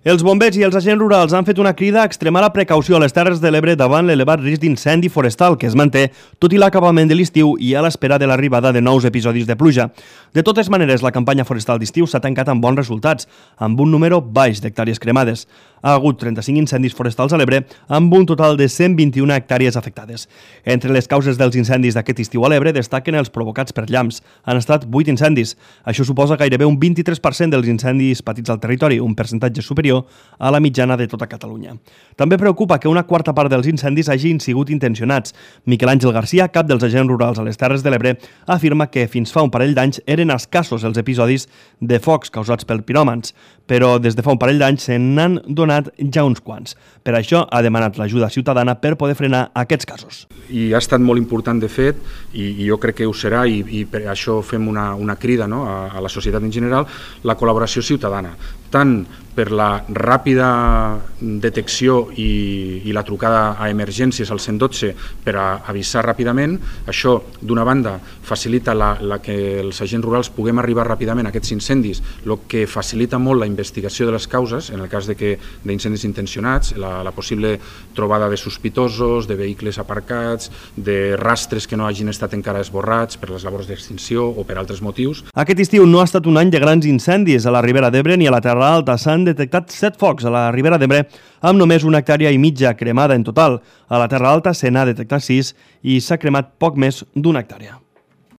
Els bombers i els agents rurals han fet una crida a extremar la precaució a les Terres de l'Ebre davant l'elevat risc d'incendi forestal que es manté tot i l'acabament de l'estiu i a l'espera de l'arribada de nous episodis de pluja. De totes maneres, la campanya forestal d'estiu s'ha tancat amb bons resultats, amb un número baix d'hectàrees cremades. Ha hagut 35 incendis forestals a l'Ebre, amb un total de 121 hectàrees afectades. Entre les causes dels incendis d'aquest estiu a l'Ebre destaquen els provocats per llamps. Han estat 8 incendis. Això suposa gairebé un 23% dels incendis patits al territori, un percentatge superior a la mitjana de tota Catalunya. També preocupa que una quarta part dels incendis hagin sigut intencionats. Miquel Àngel Garcia, cap dels agents rurals a les Terres de l'Ebre, afirma que fins fa un parell d'anys eren escassos els episodis de focs causats per piròmans, però des de fa un parell d'anys se n'han donat ja uns quants. Per això ha demanat l'ajuda ciutadana per poder frenar aquests casos. I ha estat molt important, de fet, i jo crec que ho serà, i per això fem una crida, no, a la societat en general, la col·laboració ciutadana, tant per la ràpida detecció i la trucada a emergències al 112 per a avisar ràpidament. Això, d'una banda, facilita que els agents rurals puguem arribar ràpidament a aquests incendis, el que facilita molt la investigació de les causes, en el cas d'incendis intencionats, la possible trobada de sospitosos, de vehicles aparcats, de rastres que no hagin estat encara esborrats per les labors d'extinció o per altres motius. Aquest estiu no ha estat un any de grans incendis a la Ribera d'Ebre ni a la Terra Alta. S'han detectat 7 focs a la Ribera d'Ebre amb només 1,5 hectàrees cremada en total. A la Terra Alta se n'ha detectat 6 i s'ha cremat poc més d'1 hectàrea.